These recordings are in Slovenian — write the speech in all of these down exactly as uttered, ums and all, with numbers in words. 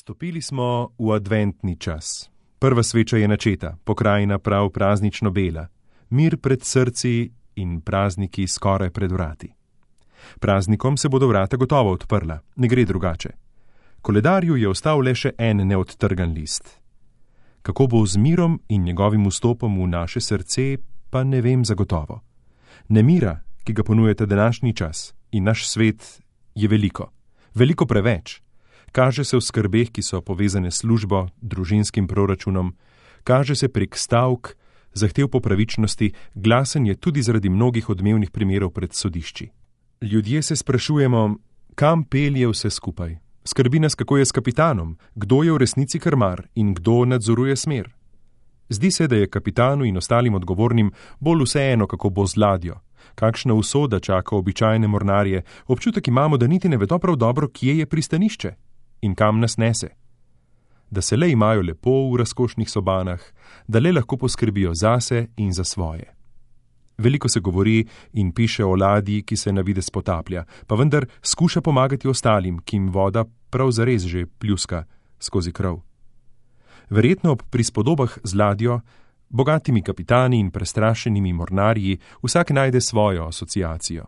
Stopili smo v adventni čas. Prva sveča je načeta, pokrajina prav praznično bela, mir pred srci in prazniki skoraj pred vrati. Praznikom se bodo vrata gotovo odprla, ne gre drugače. Koledarju je ostal le še en neodtrgan list. Kako bo z mirom in njegovim vstopom v naše srce, pa ne vem zagotovo. Nemira, ki ga ponujete današnji čas in naš svet, je veliko, veliko preveč. Kaže se v skrbeh, ki so povezane s službo, družinskim proračunom, kaže se prek stavk, zahtev po pravičnosti, glasen je tudi zaradi mnogih odmevnih primerov pred sodišči. Ljudje se sprašujemo, kam pelje vse skupaj. Skrbi nas, kako je s kapitanom, kdo je v resnici krmar in kdo nadzoruje smer. Zdi se, da je kapitanu in ostalim odgovornim bolj vseeno, kako bo z ladjo. Kakšna usoda čaka običajne mornarje, občutek imamo, da niti ne vedo prav dobro, kje je pristanišče in kam nas nese. Da se le imajo lepo v razkošnih sobanah, da le lahko poskrbijo zase in za svoje. Veliko se govori in piše o ladji, ki se na videz potaplja, pa vendar skuša pomagati ostalim, ki jim voda prav zares že pljuska skozi krov. Verjetno ob prispodobah z ladjo, bogatimi kapitani in prestrašenimi mornarji, vsak najde svojo asociacijo.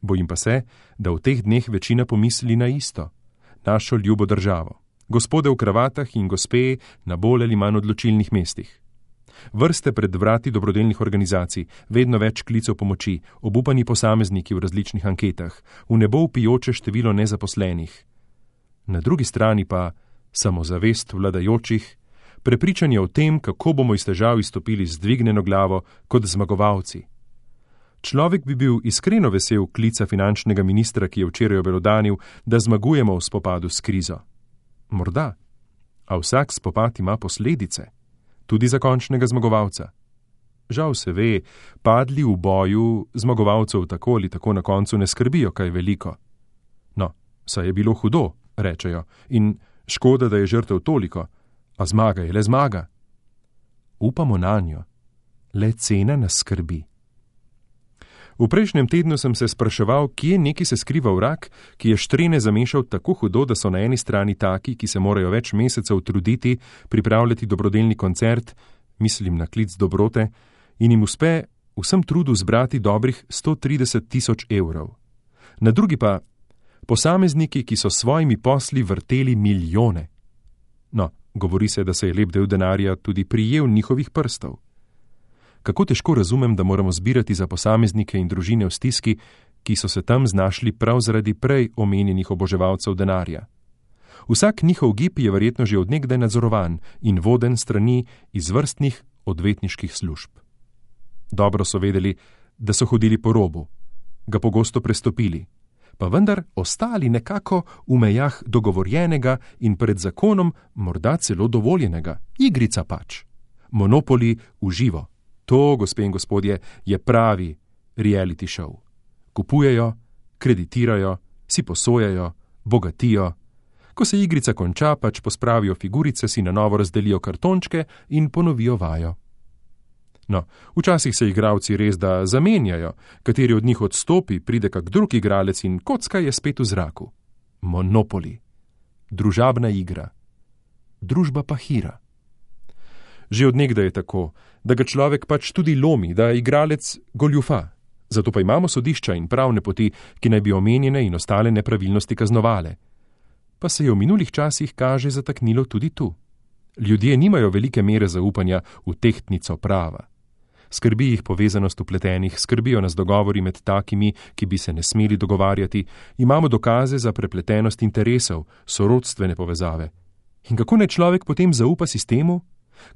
Bojim pa se, da v teh dneh večina pomisli na isto, našo ljubo državo, gospode v kravatah in gospe na bolj ali manj odločilnih mestih. Vrste pred vrati dobrodelnih organizacij, vedno več klicev pomoči, obupani posamezniki v različnih anketah, v nebo vpijoče število nezaposlenih. Na drugi strani pa samozavest vladajočih, prepričanje o tem, kako bomo iz težav izstopili z dvignjeno glavo kot zmagovalci. Človek bi bil iskreno vesel klica finančnega ministra, ki je včeraj obelodanil, da zmagujemo v spopadu s krizo. Morda, a vsak spopad ima posledice, tudi za končnega zmagovalca. Žal se ve, padli v boju zmagovalcev tako ali tako na koncu ne skrbijo kaj veliko. No, saj je bilo hudo, rečejo, in škoda, da je žrtev toliko, a zmaga je le zmaga. Upamo nanjo, le cena nas skrbi. V prejšnjem tednu sem se spraševal, kje neki se skriva vrak, ki je štrene zamešal tako hudo, da so na eni strani taki, ki se morajo več mesecev truditi, pripravljati dobrodelni koncert, mislim na klic dobrote, in jim uspe vsem trudu zbrati dobrih sto trideset tisoč evrov. Na drugi pa posamezniki, ki so svojimi posli vrteli milijone. No, govori se, da se je lep del denarja tudi prijel njihovih prstov. Kako težko razumem, da moramo zbirati za posameznike in družine v stiski, ki so se tam znašli prav zaradi prej omenjenih oboževalcev denarja. Vsak njihov gib je verjetno že odnegdaj nadzorovan in voden strani izvrstnih odvetniških služb. Dobro so vedeli, da so hodili po robu, ga pogosto prestopili, pa vendar ostali nekako v mejah dogovorjenega in pred zakonom morda celo dovoljenega. Igrica pač. Monopoli v živo. To, gospe in gospodje, je pravi reality show. Kupujejo, kreditirajo, si posojajo, bogatijo. Ko se igrica konča, pač pospravijo figurice, si na novo razdelijo kartončke in ponovijo vajo. No, včasih se igralci res da zamenjajo, kateri od njih odstopi, pride kak drug igralec in kocka je spet v zraku. Monopoli. Družabna igra. Družba pa hira. Že od nekdaj je tako, da ga človek pač tudi lomi, da igralec goljufa. Zato pa imamo sodišča in pravne poti, ki naj bi omenjene in ostale nepravilnosti kaznovale. Pa se je v minulih časih kaže zataknilo tudi tu. Ljudje nimajo velike mere zaupanja v tehtnico prava. Skrbi jih povezanost vpletenih, skrbijo nas dogovori med takimi, ki bi se ne smeli dogovarjati, imamo dokaze za prepletenost interesov, sorodstvene povezave. In kako naj človek potem zaupa sistemu?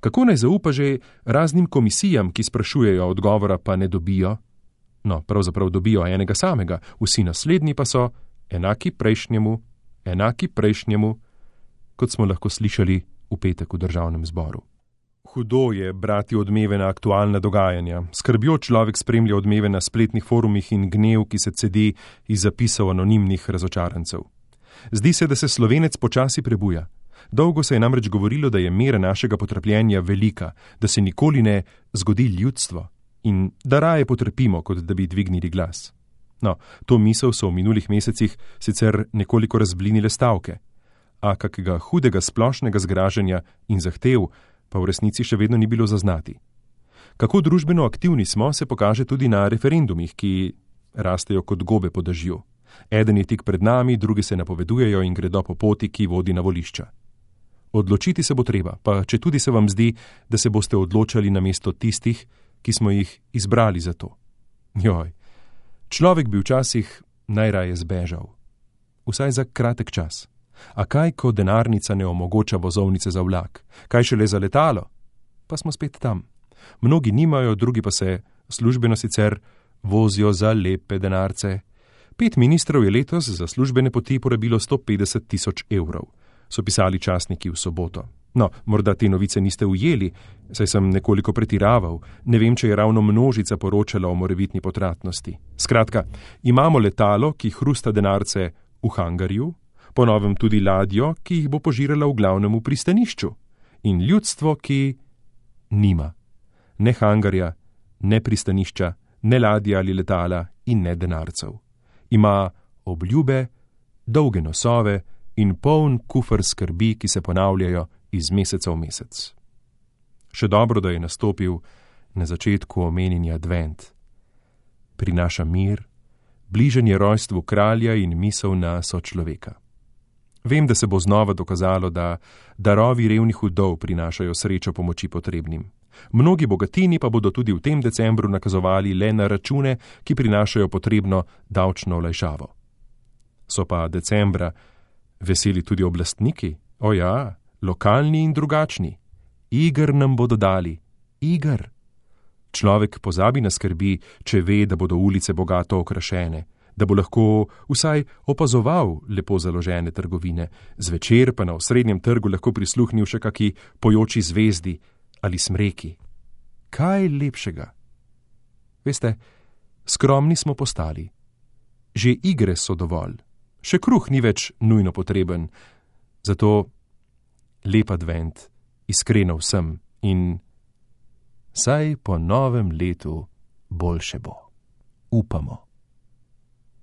Kako naj zaupa že raznim komisijam, ki sprašujejo, odgovora pa ne dobijo? No, pravzaprav dobijo enega samega, vsi naslednji pa so enaki prejšnjemu, enaki prejšnjemu, kot smo lahko slišali v petek v državnem zboru. Hudo je brati odmeve na aktualna dogajanja. Skrbjo človek spremlja odmeve na spletnih forumih in gnev, ki se cedi iz zapisov anonimnih razočarancev. Zdi se, da se Slovenec počasi prebuja. Dolgo se je namreč govorilo, da je mera našega potrpljenja velika, da se nikoli ne zgodi ljudstvo in da raje potrpimo, kot da bi dvignili glas. No, to misel so v minulih mesecih sicer nekoliko razblinile stavke. a kakega hudega splošnega zgražanja in zahtev pa v resnici še vedno ni bilo zaznati. Kako družbeno aktivni smo, se pokaže tudi na referendumih, ki rastejo kot gobe po dežju. Eden je tik pred nami, drugi se napovedujejo in gredo po poti, ki vodi na volišča. Odločiti se bo treba, pa če tudi se vam zdi, da se boste odločali namesto tistih, ki smo jih izbrali za to. Joj, človek bi včasih najraje zbežal. Vsaj za kratek čas. A kaj, ko denarnica ne omogoča vozovnice za vlak? Kaj šele za letalo? Pa smo spet tam. Mnogi nimajo, drugi pa se službeno sicer vozijo za lepe denarce. Pet ministrov je letos za službene poti porabilo sto petdeset tisoč evrov, so pisali časniki v soboto. No, morda te novice niste ujeli, saj sem nekoliko pretiraval, ne vem, če je ravno množica poročala o morebitni potratnosti. Skratka, imamo letalo, ki hrusta denarce v hangarju, po novem tudi ladjo, ki jih bo požirala v glavnem v pristanišču, in ljudstvo, ki nima ne hangarja, ne pristanišča, ne ladja ali letala in ne denarcev. Ima obljube, dolge nosove in poln kufer skrbi, ki se ponavljajo iz meseca v mesec. Še dobro, da je nastopil na začetku omenjeni advent. Prinaša mir, bliženje rojstvu kralja in misel na sočloveka. Vem, da se bo znova dokazalo, da darovi revnih vdov prinašajo srečo pomoči potrebnim. Mnogi bogatini pa bodo tudi v tem decembru nakazovali le na račune, ki prinašajo potrebno davčno olajšavo. So pa decembra veseli tudi oblastniki, o ja, lokalni in drugačni. Iger nam bodo dali, iger. Človek pozabi na skrbi, če ve, da bodo ulice bogato okrašene, da bo lahko vsaj opazoval lepo založene trgovine, zvečer pa na osrednjem trgu lahko prisluhnil še kaki pojoči zvezdi ali smreki. Kaj lepšega? Veste, skromni smo postali. Že igre so dovolj. Še kruh ni več nujno potreben. Zato lep advent, iskreno vsem in saj po novem letu boljše bo. Upamo.